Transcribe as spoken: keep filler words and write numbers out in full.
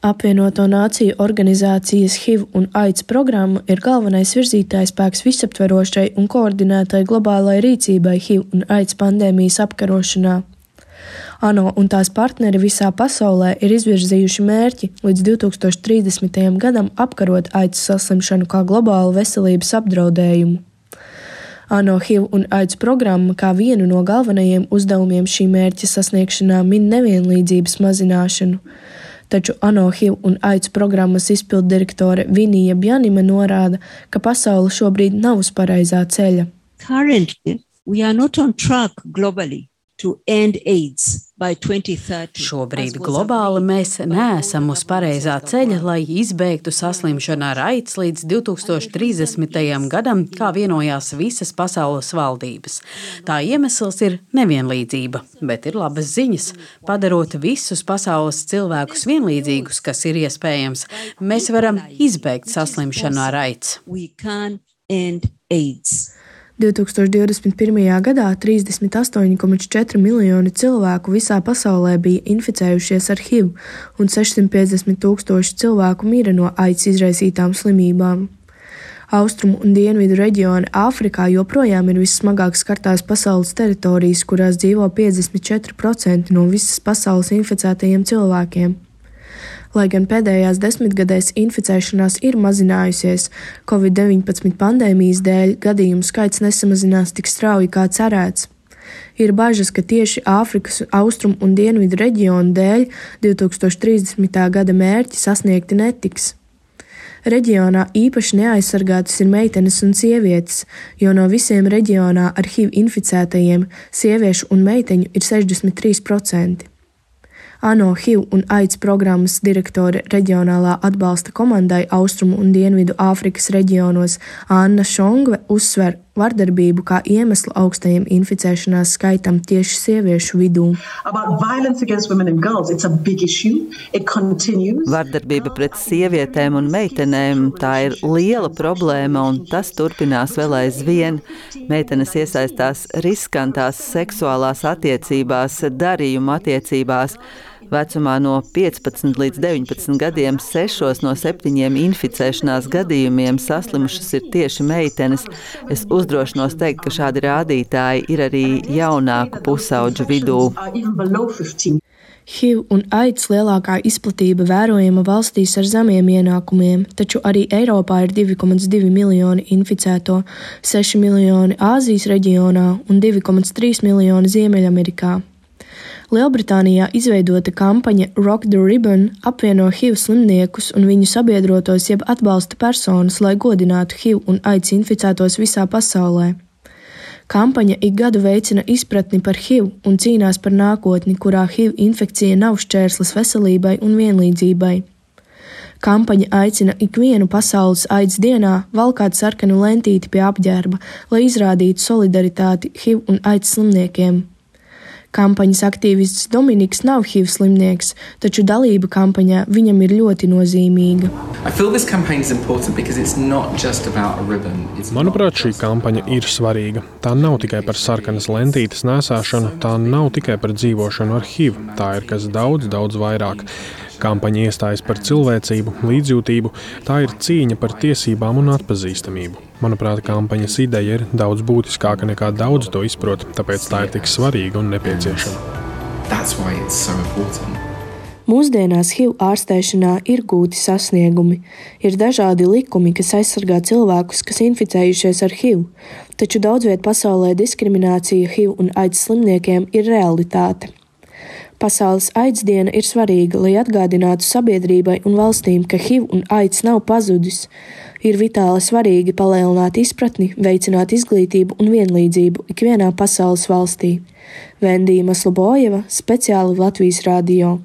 Apvienoto Nāciju organizācijas H I V un AIDS programma ir galvenais virzītājspēks visaptverošai un koordinētai globālai rīcībai H I V un AIDS pandēmijas apkarošanā. ANO un tās partneri visā pasaulē ir izvirzījuši mērķi līdz divi tūkstoši trīsdesmitajam gadam apkarot AIDS saslimšanu kā globālu veselības apdraudējumu. ANO H I V un AIDS programma kā vienu no galvenajiem uzdevumiem šī mērķa sasniegšanā min nevienlīdzības mazināšanu, taču ANO H I V un AIDS programmas izpilddirektore Vinija Bjanima norāda, ka pasaule šobrīd nav uz pareizā ceļa. Currently, we are not on track globally to end AIDS by twenty thirty. Šobrīd globāli mēs neesam uz pareizā ceļa, lai izbeigtu saslimšanu ar AIDS līdz divi tūkstoši trīsdesmitajam gadam, kā vienojās visas pasaules valdības. Tā iemesls ir nevienlīdzība, bet ir labas ziņas. Padarot visus pasaules cilvēkus vienlīdzīgus, kas ir iespējams, mēs varam izbeigt saslimšanu ar AIDS. We can end AIDS. divi tūkstoši divdesmit pirmajā gadā trīsdesmit astoņi komats četri miljoni cilvēku visā pasaulē bija inficējušies ar H I V un sešsimt piecdesmit tūkstoši cilvēku mira no AIDS izraisītām slimībām. Austrumu un dienvidu reģioni Āfrikā joprojām ir vissmagāk skartās pasaules teritorijas, kurās dzīvo piecdesmit četri procenti no visas pasaules inficētajiem cilvēkiem. Lai gan pēdējās desmitgadēs inficēšanās ir mazinājusies, covid deviņpadsmit pandēmijas dēļ gadījumu skaits nesamazinās tik strauji kā cerēts. Ir bažas, ka tieši Āfrikas austrumu un dienvidu reģionu dēļ divi tūkstoši trīsdesmitā gada mērķi sasniegti netiks. Reģionā īpaši neaizsargātas ir meitenes un sievietes, jo no visiem reģionā ar H I V inficētajiem sieviešu un meiteņu ir sešdesmit trīs procenti. ANO H I V un AIDS programmas direktore reģionālā atbalsta komandai Austrumu un Dienvidu Āfrikas reģionos Anna Šongve uzsver vardarbību kā iemeslu augstajam inficēšanās skaitam tieši sieviešu vidū. Vardarbība pret sievietēm un meitenēm – tā ir liela problēma, un tas turpinās vēl aizvien. Meitenes iesaistās riskantās seksuālās attiecībās, darījuma attiecībās. Vecumā no piecpadsmit līdz deviņpadsmit gadiem sešos no septiņiem inficēšanās gadījumiem saslimušas ir tieši meitenes. Es uzdrošinos teikt, ka šādi rādītāji ir arī jaunāku pusaudžu vidū. H I V un AIDS lielākā izplatība vērojama valstīs ar zemiem ienākumiem, taču arī Eiropā ir divi komats divi miljoni inficēto, seši miljoni Āzijas reģionā un divi komats trīs miljoni Ziemeļamerikā. Lielbritānijā izveidota kampaņa Rock the Ribbon apvieno H I V slimniekus un viņu sabiedrotos jeb atbalsta personas, lai godinātu H I V un AIDS inficētos visā pasaulē. Kampaņa ik gadu veicina izpratni par H I V un cīnās par nākotni, kurā H I V infekcija nav šķērslis veselībai un vienlīdzībai. Kampaņa aicina ikvienu pasaules AIDS dienā valkāt sarkanu lentīti pie apģērba, lai izrādītu solidaritāti H I V un AIDS slimniekiem. Kampaņas aktīvists Dominiks nav H I V slimnieks, taču dalība kampaņā viņam ir ļoti nozīmīga. Manuprāt, šī kampaņa ir svarīga. Tā nav tikai par sarkanas lentītes nēsāšanu, tā nav tikai par dzīvošanu ar H I V, tā ir kas daudz, daudz vairāk. Kampaņa iestājas par cilvēcību, līdzjūtību, tā ir cīņa par tiesībām un atpazīstamību. Manuprāt, kampaņas ideja ir daudz būtiskāka nekā daudz to izprot, tāpēc tā ir tik svarīga un nepieciešama. So Mūsdienās H I V ārstēšanā ir gūti sasniegumi. Ir dažādi likumi, kas aizsargā cilvēkus, kas inficējušies ar H I V, taču daudzviet pasaulē diskriminācija H I V un AIDS slimniekiem ir realitāte. Pasaules AIDS diena ir svarīga, lai atgādinātu sabiedrībai un valstīm, ka H I V un AIDS nav pazudis. Ir vitāli svarīgi palielināt izpratni, veicināt izglītību un vienlīdzību ikvienā pasaules valstī. Vendija Maslobojeva, speciāli Latvijas radio.